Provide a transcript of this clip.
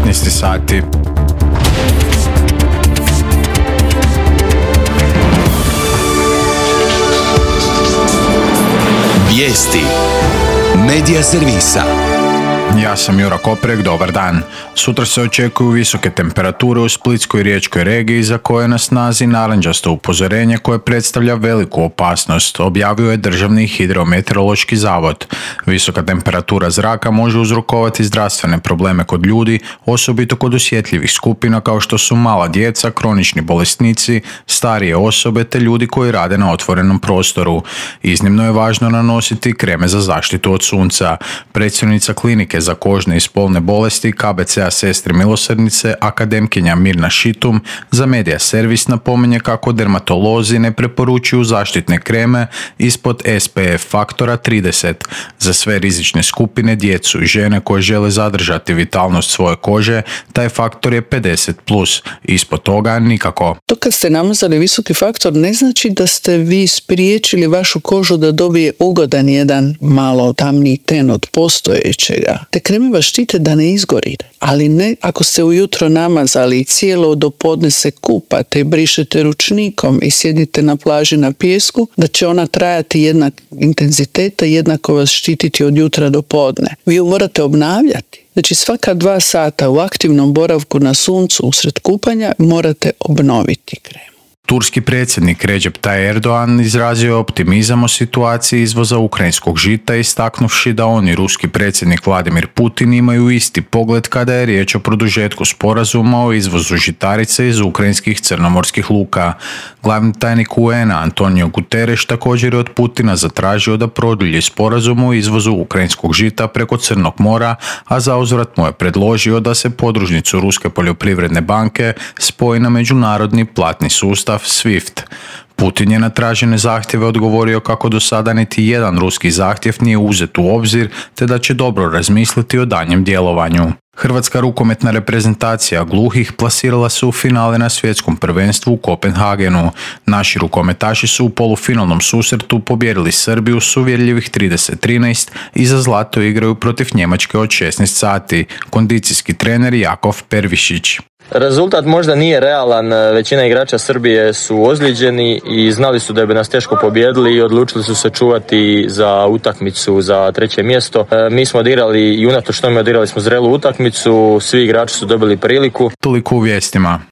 15 sati. Vijesti Medija servisa. Ja sam Jura Koprek, dobar dan. Sutra se očekuju visoke temperature u Splitskoj i Riječkoj regiji za koje je na snazi narančasto upozorenje koje predstavlja veliku opasnost, objavio je Državni hidrometeorološki zavod. Visoka temperatura zraka može uzrokovati zdravstvene probleme kod ljudi, osobito kod osjetljivih skupina kao što su mala djeca, kronični bolesnici, starije osobe te ljudi koji rade na otvorenom prostoru. Iznimno je važno nanositi kreme za zaštitu od sunca. Predsjednica klinike za kožne i spolne bolesti KBC-a Sestre milosrdnice, akademkinja Mirna Šitum, za Medija servis napominje kako dermatolozi ne preporučuju zaštitne kreme ispod SPF faktora 30. Za sve rizične skupine, djecu i žene koje žele zadržati vitalnost svoje kože, taj faktor je 50+, ispod toga nikako. To kad ste namazali visoki faktor ne znači da ste vi spriječili vašu kožu da dobije ugodan jedan malo tamniji ten od postojećega. Te kreme vas štite da ne izgori, ali ne ako ste ujutro namazali i cijelo do podne se kupate i brišete ručnikom i sjedite na plaži na pijesku, da će ona trajati jednak intenziteta i jednako vas štititi od jutra do podne. Vi ju morate obnavljati. Znači svaka 2 sata u aktivnom boravku na suncu usred kupanja morate obnoviti kremu. Turski predsjednik Recep Tayyip Erdogan izrazio je optimizam o situaciji izvoza ukrajinskog žita, istaknuvši da on i ruski predsjednik Vladimir Putin imaju isti pogled kada je riječ o produžetku sporazuma o izvozu žitarice iz ukrajinskih crnomorskih luka. Glavni tajnik UN-a Antonio Guterres također je od Putina zatražio da produlji sporazum o izvozu ukrajinskog žita preko Crnog mora, a zauzvrat mu je predložio da se podružnicu Ruske poljoprivredne banke spoji na međunarodni platni sustav SWIFT. Putin je na tražene zahtjeve odgovorio kako do sada niti jedan ruski zahtjev nije uzet u obzir, te da će dobro razmisliti o daljnjem djelovanju. Hrvatska rukometna reprezentacija gluhih plasirala se u finale na svjetskom prvenstvu u Kopenhagenu. Naši rukometaši su u polufinalnom susretu pobijedili Srbiju s uvjerljivih 30-13 i za zlato igraju protiv Njemačke od 16 sati. Kondicijski trener Jakov Pervišić. Rezultat možda nije realan, većina igrača Srbije su ozlijeđeni i znali su da bi nas teško pobijedili i odlučili su se čuvati za utakmicu za 3. mjesto. Mi smo odigrali i unatoč tome odigrali smo zrelu utakmicu, svi igrači su dobili priliku. Toliko u vijestima.